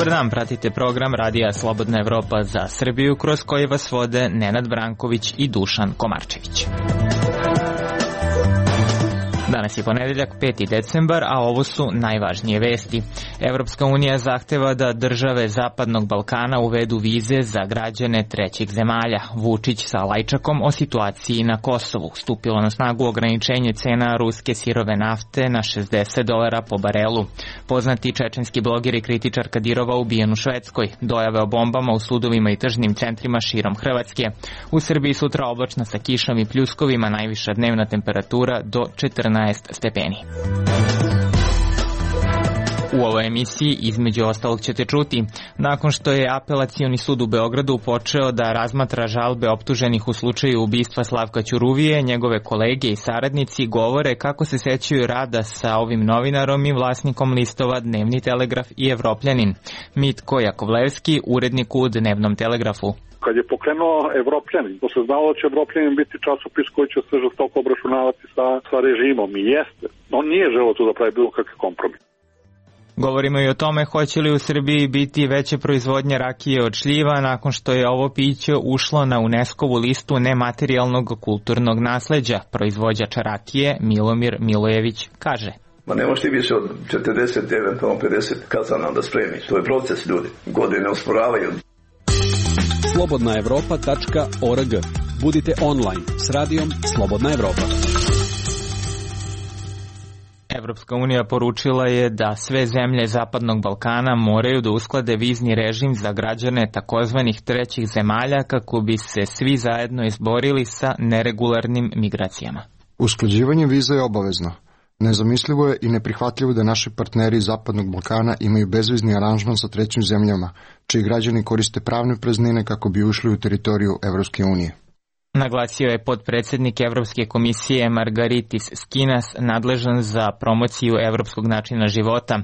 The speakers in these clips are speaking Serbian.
Dobar dan, pratite program Radija Slobodna Evropa za Srbiju, kroz koji vas vode Nenad Branković i Dušan Komarčević. Danas je ponedeljak, 5. decembar, a ovo su najvažnije vesti. Evropska unija zahteva da države Zapadnog Balkana uvedu vize za građane trećih zemalja. Vučić sa Lajčakom o situaciji na Kosovu. Stupilo na snagu ograničenje cena ruske sirove nafte na $60 po barelu. Poznati čečenski bloger i kritičar Kadirova ubijen u Švedskoj. Dojave o bombama u sudovima i tržnim centrima širom Hrvatske. U Srbiji sutra oblačno sa kišom i pljuskovima, najviša dnevna temperatura do 14 stepeni. U ovoj emisiji između ostalog ćete čuti, nakon što je Apelacioni sud u Beogradu počeo da razmatra žalbe optuženih u slučaju ubistva Slavka Ćuruvije, njegove kolege i saradnici govore kako se sećaju rada sa ovim novinarom i vlasnikom listova Dnevni telegraf i Evropljanin. Mitko Jakovlevski, urednik u Dnevnom telegrafu. Kad je pokrenuo Evropljanin, to se znalo da će Evropljanin biti časopis koji će se žestoko obračunavati sa režimom i jeste. On nije želeo tu da pravi bilo kakve kompromis. Govorimo i o tome hoće li u Srbiji biti veće proizvodnje rakije od šljiva nakon što je ovo piće ušlo na UNESCO-vu listu nematerijalnog kulturnog nasleđa. Proizvođač rakije Milomir Milojević kaže: Ma ne možeš ti više od 40, eventualno 50 kazana da spremiš. To je proces, ljudi. Godine usporavaju. slobodnaevropa.org. Budite online s radijom Slobodna Evropa. Evropska unija poručila je da sve zemlje Zapadnog Balkana moraju da usklade vizni režim za građane takozvanih trećih zemalja kako bi se svi zajedno izborili sa neregularnim migracijama. Usklađivanje viza je obavezno. Nezamislivo je i neprihvatljivo da naši partneri iz Zapadnog Balkana imaju bezvizni aranžman sa trećim zemljama, čiji građani koriste pravne praznine kako bi ušli u teritoriju Evropske unije. Naglasio je potpredsednik Evropske komisije Margaritis Skinas, nadležan za promociju evropskog načina života.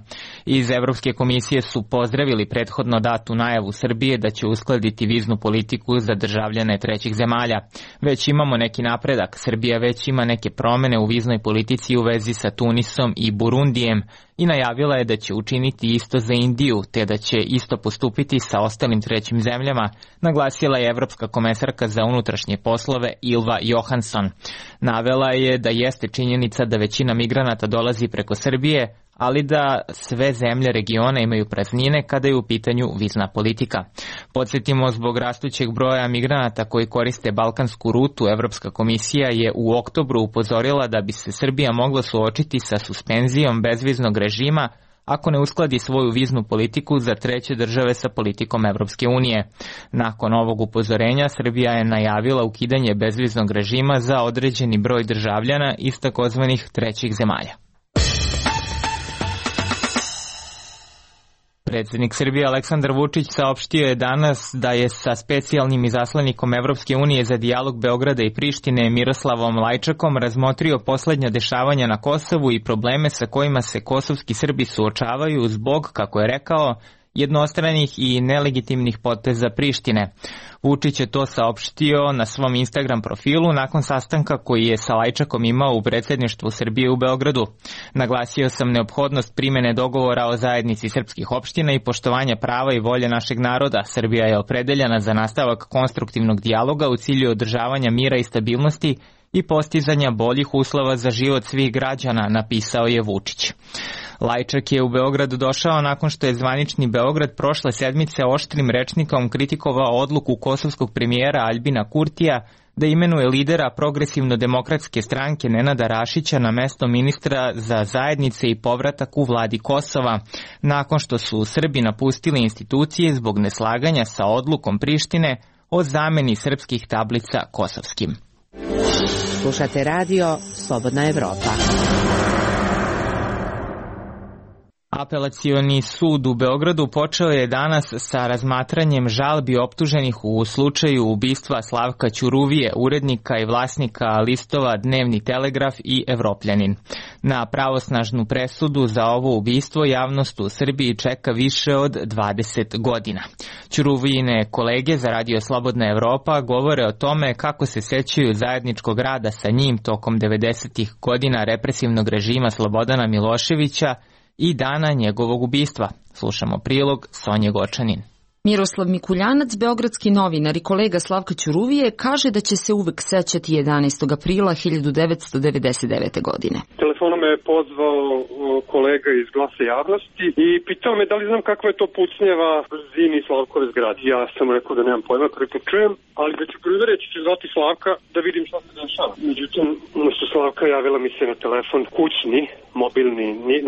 Iz Evropske komisije su pozdravili prethodno datu najavu Srbije da će uskladiti viznu politiku za državljane trećih zemalja. Već imamo neki napredak. Srbija već ima neke promene u viznoj politici u vezi sa Tunisom i Burundijem i najavila je da će učiniti isto za Indiju, te da će isto postupiti sa ostalim trećim zemljama, naglasila je Evropska komesarka za unutrašnje poslove Ylva Johansson. Navela je da jeste činjenica da većina migranata dolazi preko Srbije, ali da sve zemlje regiona imaju praznine kada je u pitanju vizna politika. Podsjetimo, zbog rastućeg broja migranata koji koriste balkansku rutu, Evropska komisija je u oktobru upozorila da bi se Srbija mogla suočiti sa suspenzijom bezviznog režima ako ne uskladi svoju viznu politiku za treće države sa politikom Evropske unije. Nakon ovog upozorenja, Srbija je najavila ukidanje bezviznog režima za određeni broj državljana iz takozvanih trećih zemalja. Predsjednik Srbije Aleksandar Vučić saopštio je danas da je sa specijalnim izaslanikom Evropske unije za dijalog Beograda i Prištine Miroslavom Lajčakom razmotrio poslednja dešavanja na Kosovu i probleme sa kojima se kosovski Srbi suočavaju zbog, kako je rekao, jednostranih i nelegitimnih poteza Prištine. Vučić je to saopštio na svom Instagram profilu nakon sastanka koji je sa Lajčakom imao u predsjedništvu Srbije u Beogradu. Naglasio sam neophodnost primene dogovora o zajednici srpskih opština i poštovanja prava i volje našeg naroda. Srbija je opredeljena za nastavak konstruktivnog dijaloga u cilju održavanja mira i stabilnosti i postizanja boljih uslova za život svih građana, napisao je Vučić. Lajčak je u Beograd došao nakon što je zvanični Beograd prošle sedmice oštrim rečnikom kritikovao odluku kosovskog premijera Aljbina Kurtija da imenuje lidera progresivno-demokratske stranke Nenada Rašića na mesto ministra za zajednice i povratak u vladi Kosova, nakon što su Srbi napustili institucije zbog neslaganja sa odlukom Prištine o zameni srpskih tablica kosovskim. Slušate radio Slobodna Evropa. Apelacioni sud u Beogradu počeo je danas sa razmatranjem žalbi optuženih u slučaju ubistva Slavka Ćuruvije, urednika i vlasnika listova Dnevni telegraf i Evropljanin. Na pravosnažnu presudu za ovo ubistvo javnost u Srbiji čeka više od 20 godina. Ćuruvijine kolege za Radio Slobodna Evropa govore o tome kako se sećaju zajedničkog rada sa njim tokom 90-ih godina represivnog režima Slobodana Miloševića i dana njegovog ubistva. Slušamo prilog Sonje Gočanin. Miroslav Mikuljanac, beogradski novinar i kolega Slavka Ćuruvije, kaže da će se uvek sećati 11. aprila 1999. godine. Telefonom me je pozvao kolega iz Glasa javnosti i pitao me da li znam kakva je to pucnjeva zimi Slavkove zgrade. Ja sam rekao da nemam pojma, prvi čujem, ali da ću prvi ću zvati Slavka da vidim šta se dešava. Međutim, umesto Slavka javila mi se na telefon kućni,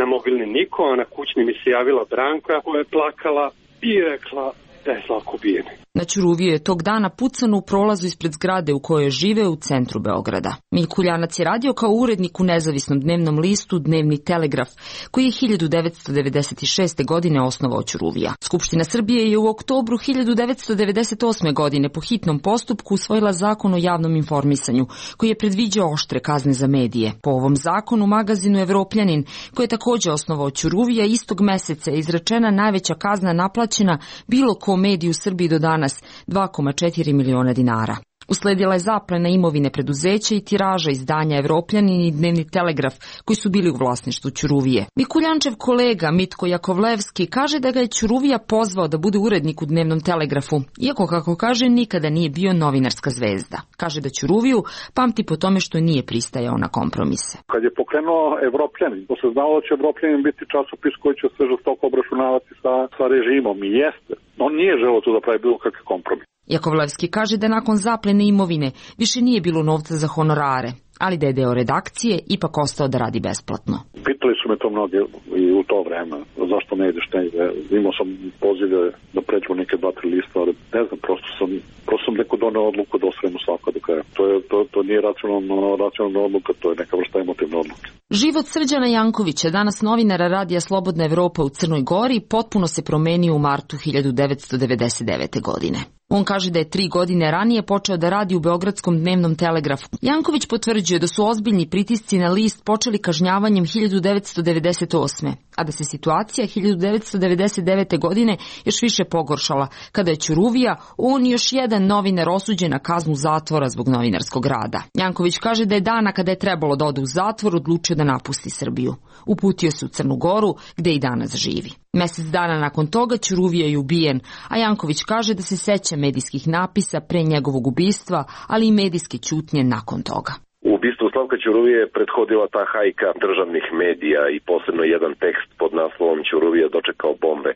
na mobilni niko, a na kućni mi se javila Branka koja je plakala i rekla da je Slavko ubijen. Na Ćuruviju je tog dana pucano u prolazu ispred zgrade u kojoj žive u centru Beograda. Mikuljanac je radio kao urednik u nezavisnom dnevnom listu Dnevni telegraf, koji je 1996. godine osnovao Ćuruvija. Skupština Srbije je u oktobru 1998. godine po hitnom postupku usvojila zakon o javnom informisanju, koji je predviđao oštre kazne za medije. Po ovom zakonu magazinu Evropljanin, koji je također osnovao Ćuruvija, istog meseca je izrečena najveća kazna naplaćena bilo ko mediju u Srbiji do danas, 2,4 miliona dinara. Usledila je zaplena imovine preduzeća i tiraža izdanja Evropljanin i Dnevni telegraf, koji su bili u vlasništvu Ćuruvije. Mikuljančev kolega Mitko Jakovlevski kaže da ga je Ćuruvija pozvao da bude urednik u Dnevnom telegrafu, iako, kako kaže, nikada nije bio novinarska zvezda. Kaže da Ćuruviju pamti po tome što nije pristajao na kompromise. Kad je pokrenuo Evropljanin, to se znalo da će Evropljanin biti časopis koji će se žestoko obračunavati sa režimom, i jeste. On nije želeo tu da pravi bilo kakve kompromis. Jakovlevski kaže da nakon zaplene imovine više nije bilo novca za honorare, ali da je deo redakcije ipak ostao da radi besplatno. Pitali su me to mnoge i u to vreme, zašto ne ideš negde. Imao sam pozive da pređu neke 2-3 lista, ali ne znam, prosto sam neko doneo odluku da osvojimo svako do kraja. To nije racionalna odluka, to je neka vrsta emotivne odluke. Život Srđana Jankovića, danas novinara Radija Slobodna Evropa u Crnoj Gori, potpuno se promenio u martu 1999. godine. On kaže da je 3 godine ranije počeo da radi u Beogradskom Dnevnom telegrafu. Janković potvrđuje da su ozbiljni pritisci na list počeli kažnjavanjem 1998. a da se situacija 1999. godine još više pogoršala, kada je Ćuruvija, on i još jedan novinar osuđen na kaznu zatvora zbog novinarskog rada. Janković kaže da je dana kada je trebalo da ode u zatvor odlučio da napusti Srbiju. Uputio se u Crnu Goru, gde i danas živi. Mesec dana nakon toga Ćuruvija je ubijen, a Janković kaže da se seća medijskih napisa pre njegovog ubistva, ali i medijske ćutnje nakon toga. U ubistvu Slavka Ćuruvije je prethodila ta hajka državnih medija i posebno jedan tekst pod naslovom Ćuruvija dočekao bombe,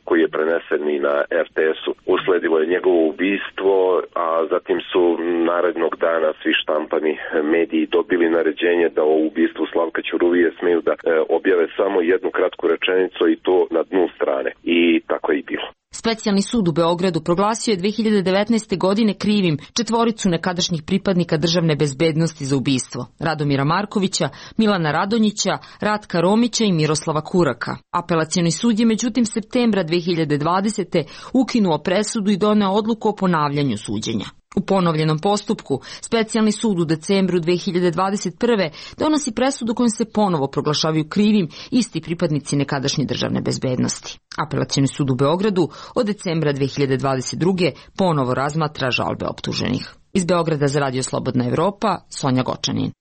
koji je prenesen i na RTS-u. Usledilo je njegovo ubistvo, a zatim su narednog dana svi štampani mediji dobili naređenje da o ubistvu Slavka Ćuruvije smeju da objave samo jednu kratku rečenicu i to na dnu strane. I tako je i bilo. Specijalni sud u Beogradu proglasio je 2019. godine krivim 4 nekadašnjih pripadnika državne bezbednosti za ubistvo: Radomira Markovića, Milana Radonjića, Ratka Romića i Miroslava Kuraka. Apelacioni sud je međutim septembra 2020. ukinuo presudu i doneo odluku o ponavljanju suđenja. U ponovljenom postupku, specijalni sud u decembru 2021. donosi presudu kojom se ponovo proglašavaju krivim isti pripadnici nekadašnje državne bezbednosti. Apelacioni sud u Beogradu od decembra 2022. ponovo razmatra žalbe optuženih. Iz Beograda za Radio Slobodna Evropa, Sonja Gočanin.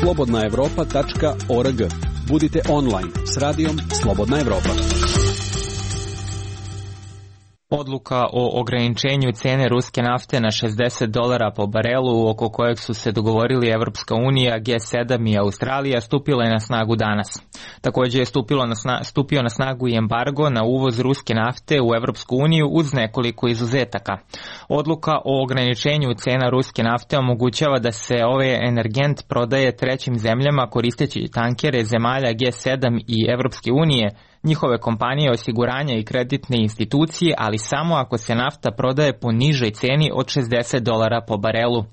slobodnaevropa.org. Budite online s radijom Slobodna Evropa. Odluka o ograničenju cene ruske nafte na $60 po barelu, oko kojeg su se dogovorili Evropska unija, G7 i Australija, stupila je na snagu danas. Također je stupio na snagu i embargo na uvoz ruske nafte u Evropsku uniju uz nekoliko izuzetaka. Odluka o ograničenju cena ruske nafte omogućava da se ovaj energent prodaje trećim zemljama koristeći tankere zemalja G7 i Evropske unije, njihove kompanije osiguranja i kreditne institucije, ali samo ako se nafta prodaje po nižoj ceni od $60 po barelu.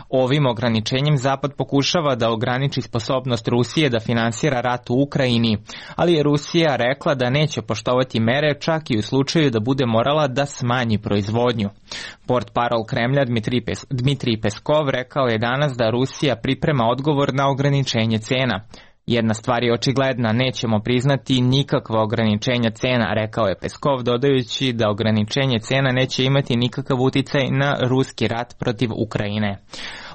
Ovim ograničenjem Zapad pokušava da ograniči sposobnost Rusije da finansira rat u Ukrajini, ali je Rusija rekla da neće poštovati mere čak i u slučaju da bude morala da smanji proizvodnju. Portparol Kremlja Dmitrij Peskov rekao je danas da Rusija priprema odgovor na ograničenje cena. Jedna stvar je očigledna, nećemo priznati nikakva ograničenja cena, rekao je Peskov, dodajući da ograničenje cena neće imati nikakav uticaj na ruski rat protiv Ukrajine.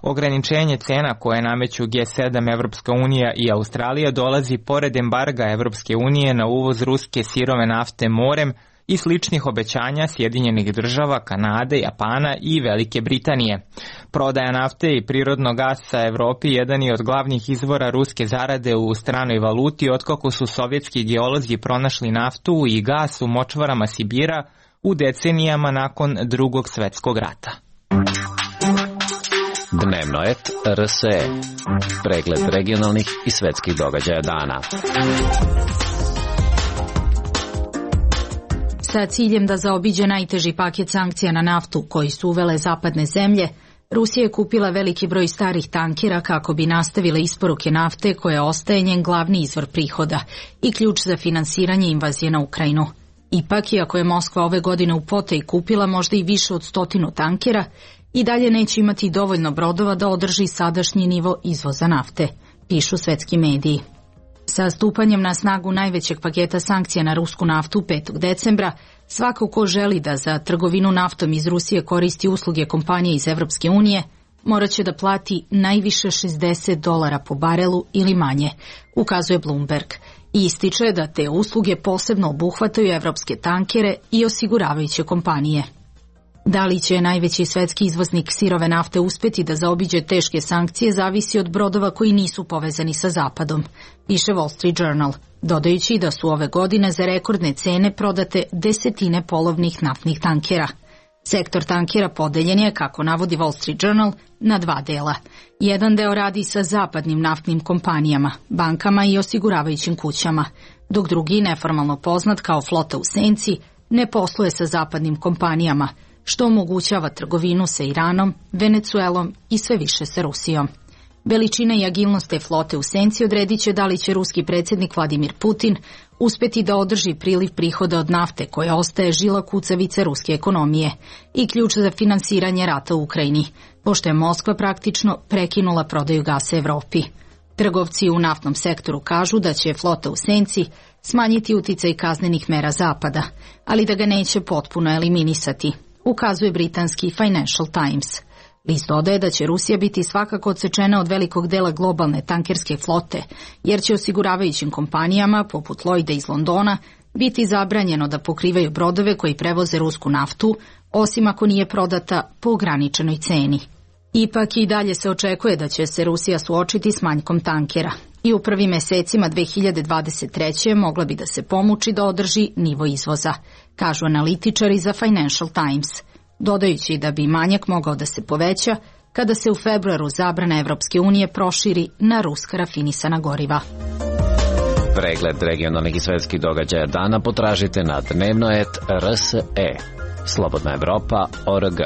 Ograničenje cena koje nameću G7, Evropska unija i Australija dolazi pored embarga Evropske unije na uvoz ruske sirove nafte morem i sličnih obećanja Sjedinjenih država, Kanade, Japana i Velike Britanije. Prodaja nafte i prirodnog gasa Evropi jedan je od glavnih izvora ruske zarade u stranoj valuti otkako su sovjetski geolozi pronašli naftu i gas u močvarama Sibira u decenijama nakon Drugog svetskog rata. Dnevnoet RSE. Pregled regionalnih i svetskih događaja dana. Sa ciljem da zaobiđe najteži paket sankcija na naftu koji su uvele zapadne zemlje, Rusija je kupila veliki broj starih tankera kako bi nastavile isporuke nafte koja ostaje njen glavni izvor prihoda i ključ za finansiranje invazije na Ukrajinu. Ipak, iako je Moskva ove godine u potaji kupila možda i više od 100 tankera, i dalje neće imati dovoljno brodova da održi sadašnji nivo izvoza nafte, pišu svetski mediji. Sa stupanjem na snagu najvećeg paketa sankcija na rusku naftu 5. decembra, svako ko želi da za trgovinu naftom iz Rusije koristi usluge kompanije iz Evropske unije, morat će da plati najviše $60 po barelu ili manje, ukazuje Bloomberg, i ističe da te usluge posebno obuhvataju evropske tankere i osiguravajuće kompanije. Da li će najveći svetski izvoznik sirove nafte uspeti da zaobiđe teške sankcije zavisi od brodova koji nisu povezani sa Zapadom, piše Wall Street Journal, dodajući da su ove godine za rekordne cene prodate desetine polovnih naftnih tankera. Sektor tankera podeljen je, kako navodi Wall Street Journal, na dva dela. Jedan deo radi sa zapadnim naftnim kompanijama, bankama i osiguravajućim kućama, dok drugi, neformalno poznat kao flota u senci, ne posluje sa zapadnim kompanijama, što omogućava trgovinu sa Iranom, Venecuelom i sve više sa Rusijom. Veličina i agilnost te flote u senci odredit će da li će ruski predsjednik Vladimir Putin uspeti da održi priliv prihoda od nafte koja ostaje žila kucavice ruske ekonomije i ključ za finansiranje rata u Ukrajini, pošto je Moskva praktično prekinula prodaju gasa Evropi. Trgovci u naftnom sektoru kažu da će flota u senci smanjiti uticaj kaznenih mera Zapada, ali da ga neće potpuno eliminisati, ukazuje britanski Financial Times. List dodaje da će Rusija biti svakako odsečena od velikog dela globalne tankerske flote, jer će osiguravajućim kompanijama, poput Lloyda iz Londona, biti zabranjeno da pokrivaju brodove koji prevoze rusku naftu, osim ako nije prodata po ograničenoj ceni. Ipak i dalje se očekuje da će se Rusija suočiti s manjkom tankera i u prvim mesecima 2023. mogla bi da se pomuči da održi nivo izvoza, kažu analitičari za Financial Times, dodajući da bi manjak mogao da se poveća kada se u februaru zabrana Evropske unije proširi na ruska rafinisana goriva. Pregled regionalnih i svetskih događaja dana potražite na Dnevnoet RSE. Slobodna Evropa.org.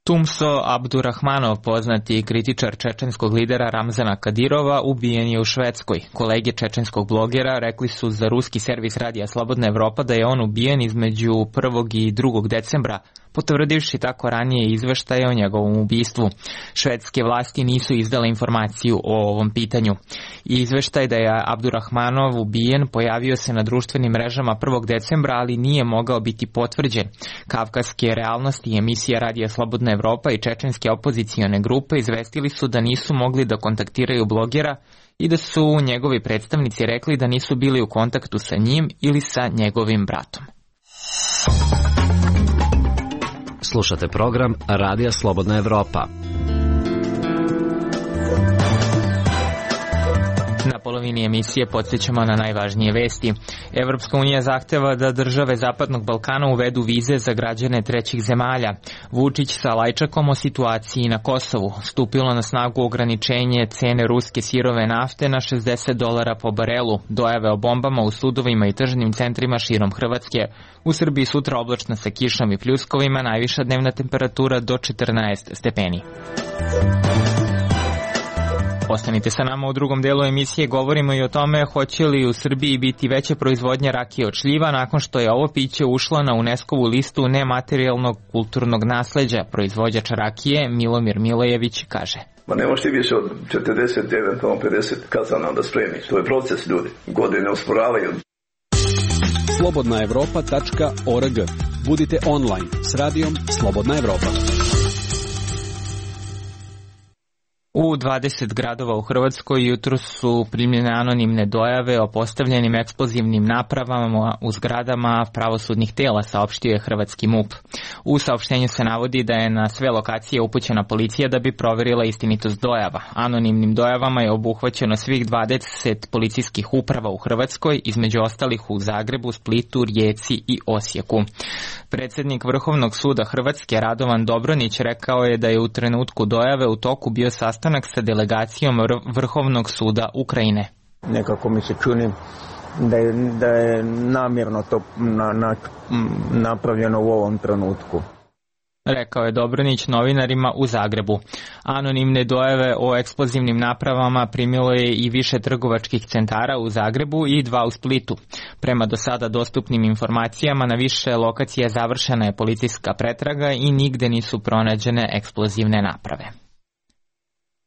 Tumso Abdurahmanov, poznati kritičar čečenskog lidera Ramzana Kadirova, ubijen je u Švedskoj. Kolege čečenskog blogera rekli su za ruski servis radija Slobodna Evropa da je on ubijen između 1. i 2. decembra, potvrdivši tako ranije izveštaje o njegovom ubistvu. Švedske vlasti nisu izdale informaciju o ovom pitanju. Izveštaj da je Abdurahmanov ubijen pojavio se na društvenim mrežama 1. decembra, ali nije mogao biti potvrđen. Kavkaske realnosti i emisija radija Slobodna Evropa i čečenske opozicione grupe izvestili su da nisu mogli da kontaktiraju blogera i da su njegovi predstavnici rekli da nisu bili u kontaktu sa njim ili sa njegovim bratom. Slušate program Radija Slobodna Evropa. Na polovini emisije podsjećamo na najvažnije vesti. Evropska unija zahteva da države Zapadnog Balkana uvedu vize za građane trećih zemalja. Vučić sa Lajčakom o situaciji na Kosovu. Stupilo na snagu ograničenje cene ruske sirove nafte na $60 po barelu. Dojave o bombama u sudovima i tržnim centrima širom Hrvatske. U Srbiji sutra oblačno sa kišom i pljuskovima, najviša dnevna temperatura do 14 stepeni. Ostanite sa nama u drugom delu emisije, govorimo i o tome hoće li u Srbiji biti veća proizvodnja rakije od šljiva nakon što je ovo piće ušlo na UNESCO-vu listu nematerijalnog kulturnog nasleđa. Proizvođač rakije Milomir Milojević kaže: Ma ne možete više od 40, eventualno 50 kazana da spremiš. To je proces, ljudi. Godine usporavaju. Slobodnaevropa.org. Budite online s radijom Slobodna Evropa. U 20 gradova u Hrvatskoj jutro su primljene anonimne dojave o postavljenim eksplozivnim napravama u zgradama pravosudnih tela, saopštio je hrvatski MUP. U saopštenju se navodi da je na sve lokacije upućena policija da bi proverila istinitost dojava. Anonimnim dojavama je obuhvaćeno svih 20 policijskih uprava u Hrvatskoj, između ostalih u Zagrebu, Splitu, Rijeci i Osijeku. Predsjednik Vrhovnog suda Hrvatske Radovan Dobronić rekao je da je u trenutku dojave u toku bio sastanak sa delegacijom Vrhovnog suda Ukrajine. Nekako mi se čini da je namjerno to napravljeno u ovom trenutku. Rekao je Dobronić novinarima u Zagrebu. Anonimne dojave o eksplozivnim napravama primilo je i više trgovačkih centara u Zagrebu i 2 u Splitu. Prema do sada dostupnim informacijama, na više lokacija završena je policijska pretraga i nigde nisu pronađene eksplozivne naprave.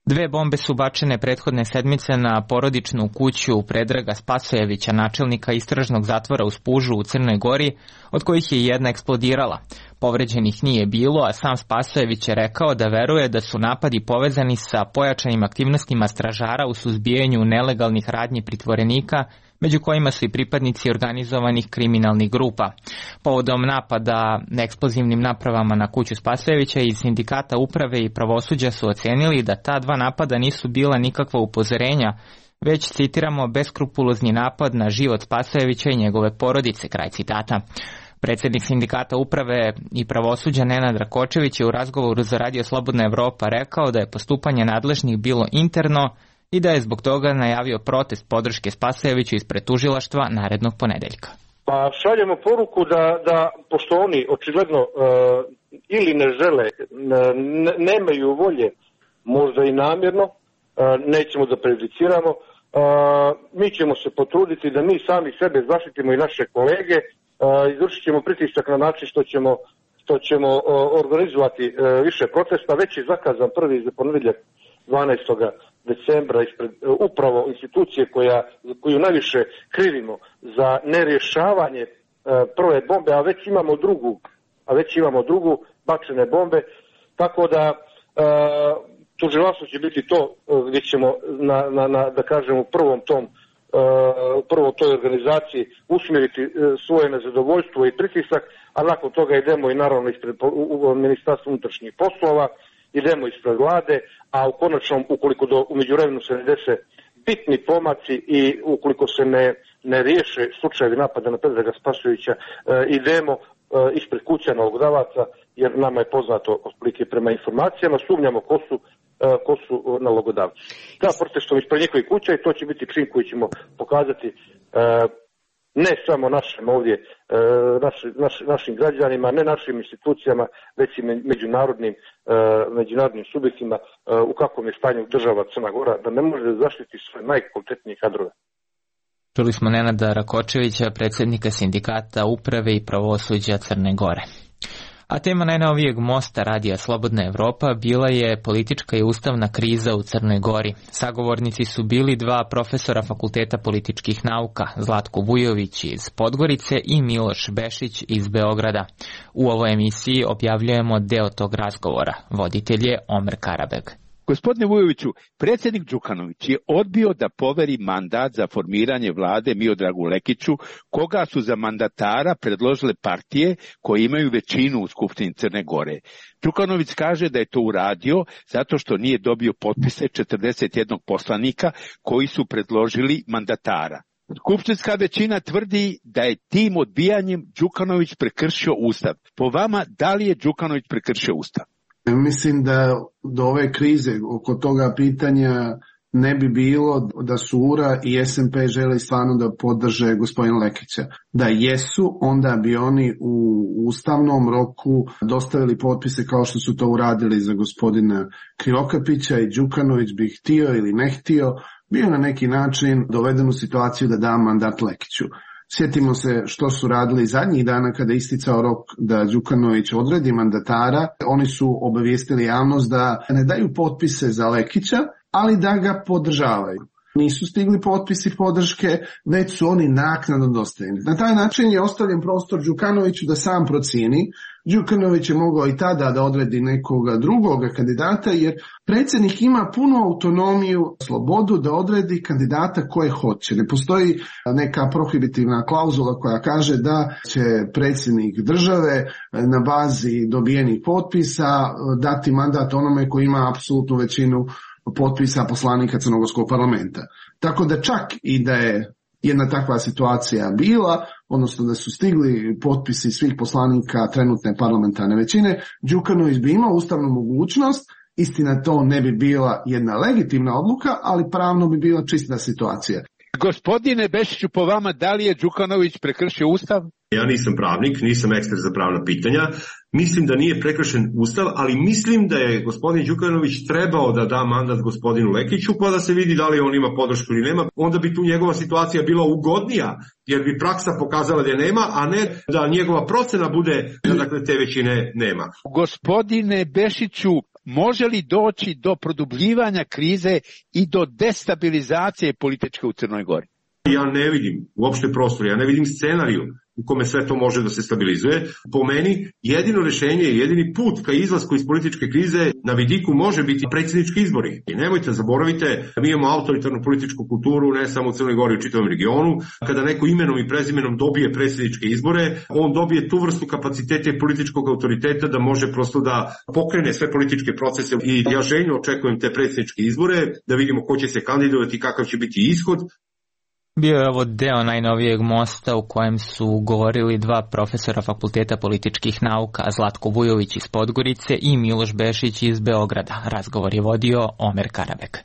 2 bombe su bačene prethodne sedmice na porodičnu kuću Predraga Spasojevića, načelnika istražnog zatvora u Spužu u Crnoj Gori, od kojih je jedna eksplodirala. Povređenih nije bilo, a sam Spasojević je rekao da veruje da su napadi povezani sa pojačanim aktivnostima stražara u suzbijanju nelegalnih radnji pritvorenika, među kojima su i pripadnici organizovanih kriminalnih grupa. Povodom napada eksplozivnim napravama na kuću Spasojevića iz Sindikata uprave i pravosuđa su ocenili da ta 2 napada nisu bila nikakva upozorenja, već, citiramo, beskrupulozni napad na život Spasojevića i njegove porodice, kraj citata. Predsjednik Sindikata uprave i pravosuđa Nenad Rakočević je u razgovoru za Radio Slobodna Evropa rekao da je postupanje nadležnih bilo interno i da je zbog toga najavio protest podrške Spasojeviću ispred tužilaštva narednog ponedeljka. Pa šaljemo poruku da pošto oni očigledno ili ne žele, nemaju volje, možda i namjerno, nećemo da prejudiciramo, mi ćemo se potruditi da mi sami sebe zaštitimo i naše kolege, izvršit ćemo pritisak na način što ćemo organizovati više protesta. Već je zakazan prvi za ponedjeljak 12. decembra ispred upravo institucije koju najviše krivimo za nerješavanje prve bombe, a već imamo drugu bačene bombe, tako da tužilaštvo će biti to gdje ćemo da kažem u prvo toj organizaciji usmjeriti svoje nezadovoljstvo i pritisak, a nakon toga idemo i naravno ispred Ministarstva unutrašnjih poslova, idemo ispred vlade, a u konačnom, ukoliko u međuvremenu se ne dese bitni pomaci i ukoliko se ne riješe slučajevi napada na Predraga Spasojevića, idemo ispred kuća nalogodavaca, jer nama je poznato otprilike prema informacijama, sumnjamo ko su nalogodavci. Da, protestom ispred njihovih kuća i to će biti čin koji ćemo pokazati ne samo našim ovdje, našim građanima, ne našim institucijama, već i međunarodnim subjektima u kakvom je stanju država Crna Gora, da ne može da zaštiti svoje najkvalitetnije kadrove. Čuli smo Nenada Rakočevića, predsjednika Sindikata uprave i pravosuđa Crne Gore. A tema najnovijeg mosta Radija Slobodna Evropa bila je politička i ustavna kriza u Crnoj Gori. Sagovornici su bili 2 profesora Fakulteta političkih nauka, Zlatko Vujović iz Podgorice i Miloš Bešić iz Beograda. U ovoj emisiji objavljujemo deo tog razgovora. Voditelj je Omer Karabeg. Gospodine Vujoviću, predsjednik Đukanović je odbio da poveri mandat za formiranje vlade Miodragu Lekiću, koga su za mandatara predložile partije koje imaju većinu u Skupštini Crne Gore. Đukanović kaže da je to uradio zato što nije dobio potpise 41 poslanika koji su predložili mandatara. Skupštinska većina tvrdi da je tim odbijanjem Đukanović prekršio Ustav. Po vama, da li je Đukanović prekršio Ustav? Mislim da do ove krize oko toga pitanja ne bi bilo da su URA i SMP želi stvarno da podrže gospodina Lekića. Da jesu, onda bi oni u ustavnom roku dostavili potpise kao što su to uradili za gospodina Krivokapića i Đukanović bi htio ili ne htio, bio na neki način doveden u situaciju da da mandat Lekiću. Sjetimo se što su radili zadnjih dana kada je isticao rok da Đukanović odredi mandatara. Oni su obavijestili javnost da ne daju potpise za Lekića, ali da ga podržavaju. nisu stigli potpisi podrške, već su oni naknadno dostavljeni. Na taj način je ostavljen prostor Đukanoviću da sam procijeni. Đukanović je mogao i tada da odredi nekoga drugoga kandidata, jer predsjednik ima punu autonomiju, slobodu da odredi kandidata koje hoće. Ne postoji neka prohibitivna klauzula koja kaže da će predsjednik države na bazi dobijenih potpisa dati mandat onome koji ima apsolutnu većinu potpisa poslanika Crnogorskog parlamenta. Tako da čak i da je jedna takva situacija bila, odnosno da su stigli potpisi svih poslanika trenutne parlamentarne većine, Đukanović bi imao ustavnu mogućnost, istina to ne bi bila jedna legitimna odluka, ali pravno bi bila čista situacija. Gospodine Bešiću, po vama, da li je Đukanović prekršio Ustav? Ja nisam pravnik, nisam ekspert za pravna pitanja. Mislim da nije prekršen Ustav, ali mislim da je gospodin Đukanović trebao da da mandat gospodinu Lekiću, pa da se vidi da li on ima podršku ili nema. Onda bi tu njegova situacija bila ugodnija, jer bi praksa pokazala da je nema, a ne da njegova procena bude da te većine nema. Gospodine Bešiću, može li doći do produbljivanja krize i do destabilizacije političke u Crnoj Gori? Ja ne vidim uopšte prostor, ja ne vidim scenariju u kome sve to može da se stabilizuje. Po meni, jedino rješenje i jedini put ka izlasku iz političke krize na vidiku može biti predsjednički izbori. I nemojte, zaboravite, mi imamo autoritarnu političku kulturu ne samo u Crnoj Gori, u čitavom regionu. Kada neko imenom i prezimenom dobije predsjedničke izbore, on dobije tu vrstu kapaciteta i političkog autoriteta da može prosto da pokrene sve političke procese. I ja željno očekujem te predsjedničke izbore, da vidimo ko će se kandidovati i kakav će biti ishod. Bio je ovo deo najnovijeg mosta u kojem su govorili dva profesora Fakulteta političkih nauka, Zlatko Vujović iz Podgorice i Miloš Bešić iz Beograda. Razgovor je vodio Omer Karabek.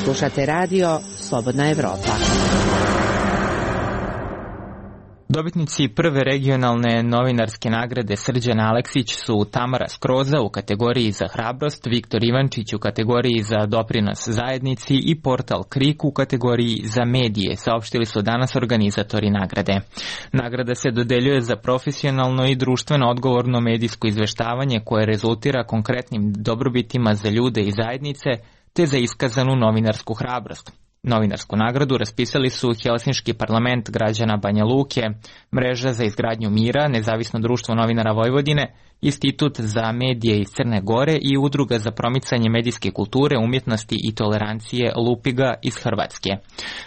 Slušate radio Slobodna Evropa. Dobitnici prve regionalne novinarske nagrade Srđan Aleksić su Tamara Skroza u kategoriji za hrabrost, Viktor Ivančić u kategoriji za doprinos zajednici i portal Krik u kategoriji za medije, saopštili su danas organizatori nagrade. Nagrada se dodeljuje za profesionalno i društveno odgovorno medijsko izveštavanje koje rezultira konkretnim dobrobitima za ljude i zajednice, te za iskazanu novinarsku hrabrost. Novinarsku nagradu raspisali su Helsinški parlament građana Banja Luke, Mreža za izgradnju mira, Nezavisno društvo novinara Vojvodine, Institut za medije iz Crne Gore i Udruga za promicanje medijske kulture, umjetnosti i tolerancije Lupiga iz Hrvatske.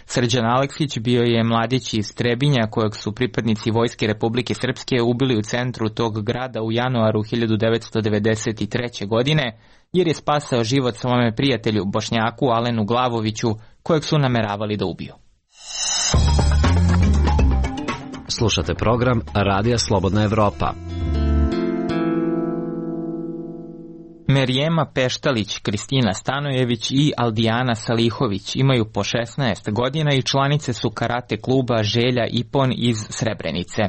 Srđan Aleksić bio je mladić iz Trebinja kojeg su pripadnici Vojske Republike Srpske ubili u centru tog grada u januaru 1993. godine, jer je spasao život svome prijatelju Bošnjaku Alenu Glavoviću, kojeg su nameravali da ubiju. Slušate program Radija Slobodna Evropa. Merijema Peštalić, Kristina Stanojević i Aldijana Salihović imaju po 16 godina i članice su karate kluba Želja Ipon iz Srebrenice.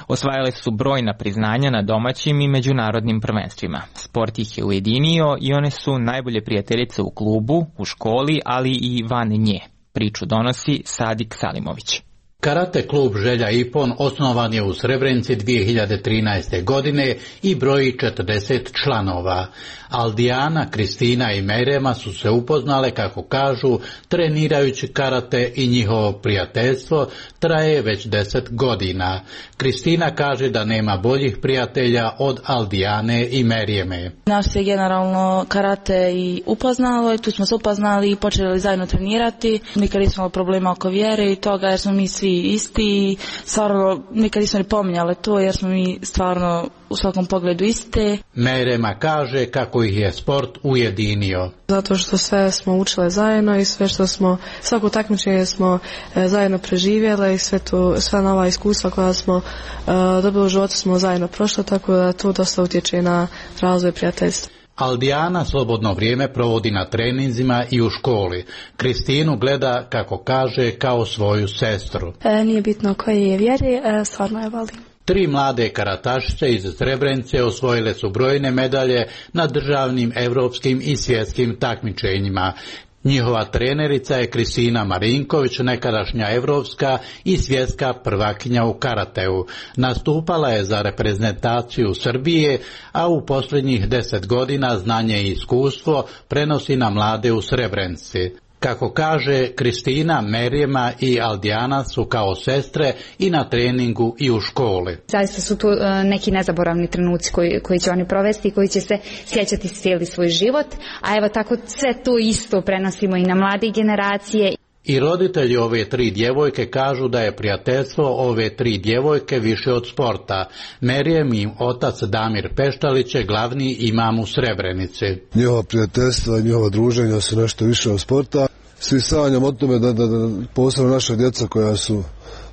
Osvajale su brojna priznanja na domaćim i međunarodnim prvenstvima. Sport ih je ujedinio i one su najbolje prijateljice u klubu, u školi, ali i van nje. Priču donosi Sadik Salimović. Karate klub Želja Ipon osnovan je u Srebrenici 2013. godine i broji 40 članova. Aldijana, Kristina i Merema su se upoznale, kako kažu, trenirajući karate i njihovo prijateljstvo traje već 10 godina. Kristina kaže da nema boljih prijatelja od Aldijane i Merijeme. Nas je generalno karate i upoznalo i tu smo se upoznali i počeli zajedno trenirati. Nikad nismo imali problema oko vjere i toga jer smo mi svi isti i stvarno nikad nismo ni pominjali to jer smo mi stvarno u svakom pogledu iste. Merema kaže kako ih je sport ujedinio. Zato što sve smo učile zajedno i sve što smo, svako takmičenje smo zajedno preživjeli i sva nova iskustva koja smo dobili u životu smo zajedno prošli, tako da to dosta utječe na razvoj prijateljstva. Aldijana slobodno vrijeme provodi na treninzima i u školi. Kristinu gleda, kako kaže, kao svoju sestru. Nije bitno koje je vjeri, stvarno je volim. 3 mlade karatašice iz Srebrenice osvojile su brojne medalje na državnim, evropskim i svjetskim takmičenjima. Njihova trenerica je Kristina Marinković, nekadašnja evropska i svjetska prvakinja u karateu. Nastupala je za reprezentaciju Srbije, a u posljednjih 10 godina znanje i iskustvo prenosi na mlade u Srebrenici. Kako kaže Kristina, Merjema i Aldijana su kao sestre i na treningu i u školi. Zaista su tu neki nezaboravni trenuci koji će oni provesti i koji će se sjećati cijeli svoj život, a evo tako sve to isto prenosimo i na mlade generacije. I roditelji ove 3 djevojke kažu da je prijateljstvo ove 3 djevojke više od sporta. Merjem i otac Damir Peštalić je glavni imam u Srebrenici. Njihova prijateljstva i njihova druženja su nešto više od sporta. Svi sanjamo o tome da posebno naša djeca koja su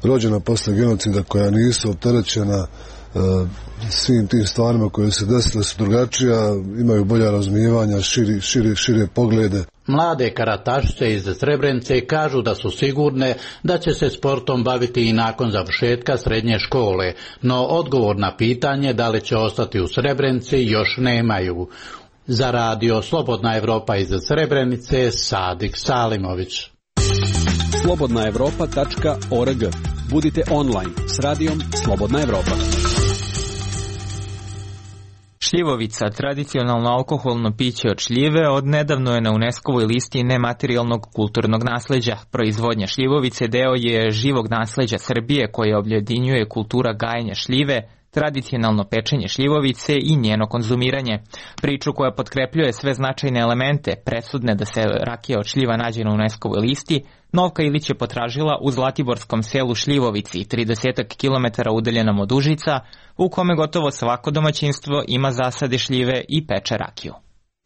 rođena posle genocida, koja nisu opterećena svim tim stvarima koje se desile, su drugačija, imaju bolja razumijevanja, šire poglede. Mlade karatašice iz Srebrenice kažu da su sigurne da će se sportom baviti i nakon završetka srednje škole, no odgovor na pitanje da li će ostati u Srebrenici još nemaju. Za radio Slobodna Evropa iz Srebrenice, Sadik Salimović. slobodnaevropa.org. Budite online s radijom Slobodna Evropa. Šljivovica, tradicionalno alkoholno piće od šljive, odnedavno je na UNESCO-voj listi nematerijalnog kulturnog nasleđa. Proizvodnja šljivovice deo je živog nasleđa Srbije koje objedinjuje kultura gajenja šljive, tradicionalno pečenje šljivovice i njeno konzumiranje. Priču koja potkrepljuje sve značajne elemente, presudne da se rakija od šljiva nađe na UNESCO-voj listi, Novka Ilić je potražila u zlatiborskom selu Šljivovici, 30 km udaljenom od Užica, u kome gotovo svako domaćinstvo ima zasade šljive i peče rakiju.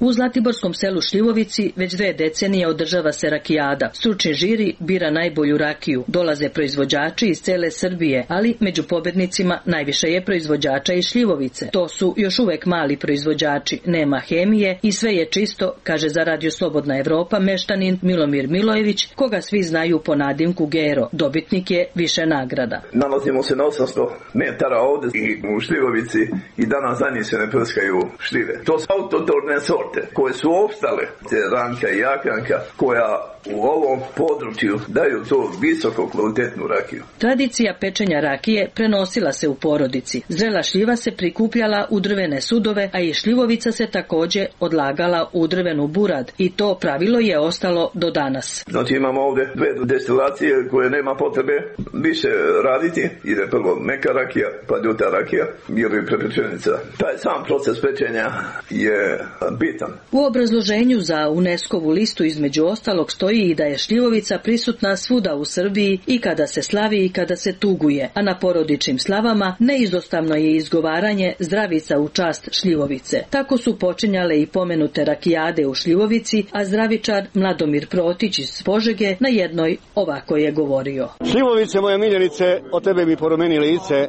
U zlatiborskom selu Šljivovici već 2 decenije održava se rakijada. Stručni žiri bira najbolju rakiju. Dolaze proizvođači iz cele Srbije, ali među pobednicima najviše je proizvođača iz Šljivovice. To su još uvek mali proizvođači, nema hemije i sve je čisto, kaže za radio Slobodna Evropa meštanin Milomir Milojević, koga svi znaju po nadimku Gero. Dobitnik je više nagrada. Nalazimo se na 800 metara ovdje i u Šljivovici i danas za njih se ne prskaju šljive. To su autotorne sorte koje su opstale, ranka i jakranka, koja u ovom području daju to visoko kvalitetnu rakiju. Tradicija pečenja rakije prenosila se u porodici. Zrela šljiva se prikupljala u drvene sudove, a i šljivovica se također odlagala u drvenu burad i to pravilo je ostalo do danas. Znači imamo ovdje 2 destilacije koje nema potrebe više raditi. Ide prvo meka rakija, pa ljuta rakija ili prepečenica. Taj sam proces pečenja je bitan. U obrazloženju za UNESCO-vu listu između ostalog stoji i da je šljivovica prisutna svuda u Srbiji i kada se slavi i kada se tuguje, a na porodičnim slavama neizostavno je izgovaranje zdravica u čast šljivovice. Tako su počinjale i pomenute rakijade u Šljivovici, a zdravičar Mladomir Protić iz Požege na jednoj ovako je govorio. Šljivovice moje miljenice, od tebe mi porumeni lice,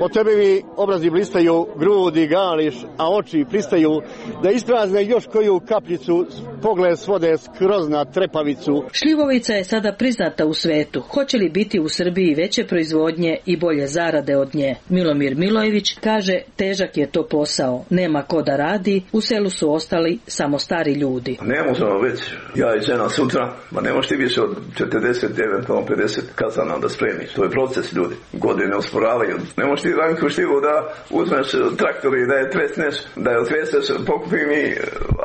od tebe mi obrazi blistaju, grudi gališ, a oči pristaju da isprazne još koju kapljicu, pogled svode skroz na trepavicu. Šljivovica je sada priznata u svetu. Hoće li biti u Srbiji veće proizvodnje i bolje zarade od nje? Milomir Milojević kaže, težak je to posao, nema ko da radi, u selu su ostali samo stari ljudi. Ne možemo već, ja i žena sutra, ma ne možeš ti više od 40, eventualno 50 kazana da spremiš. To je proces, ljudi. Godine osporavaju. Ne možeš ti ranku šljivu da uzmeš traktor i da je tresneš, da je otreseš, pokupi mi,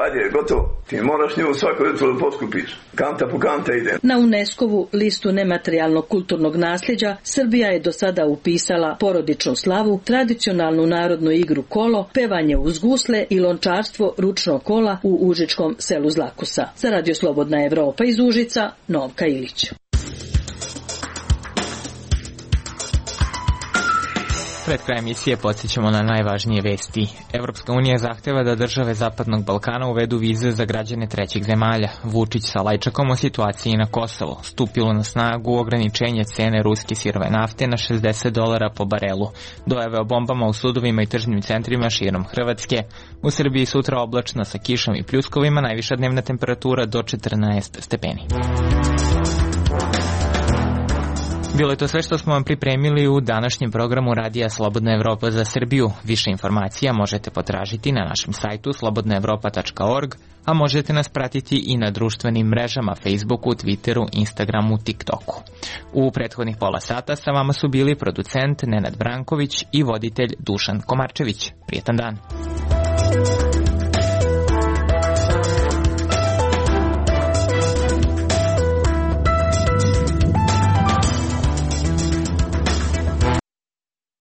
ajde, gotovo. Ti moraš nju svako jutro da potkupiš. Kanta po kanta ide. Na UNESCO-vu listu nematerijalnog kulturnog nasljeđa Srbija je do sada upisala porodičnu slavu, tradicionalnu narodnu igru kolo, pevanje uz gusle i lončarstvo ručnog kola u užičkom selu Zlakusa. Za radio Slobodna Evropa iz Užica, Novka Ilić. Pred kraj emisije podsjećamo na najvažnije vesti. Evropska unija zahteva da države Zapadnog Balkana uvedu vize za građane trećih zemalja. Vučić sa Lajčakom o situaciji na Kosovo. Stupilo na snagu ograničenje cene ruske sirove nafte na $60 po barelu. Dojave o bombama u sudovima i tržnim centrima širom Hrvatske. U Srbiji sutra oblačno sa kišom i pljuskovima, najviša dnevna temperatura do 14 stepeni. Bilo je to sve što smo vam pripremili u današnjem programu Radija Slobodna Evropa za Srbiju. Više informacija možete potražiti na našem sajtu slobodnaevropa.org, a možete nas pratiti i na društvenim mrežama Facebooku, Twitteru, Instagramu, TikToku. U prethodnih pola sata sa vama su bili producent Nenad Branković i voditelj Dušan Komarčević. Prijetan dan!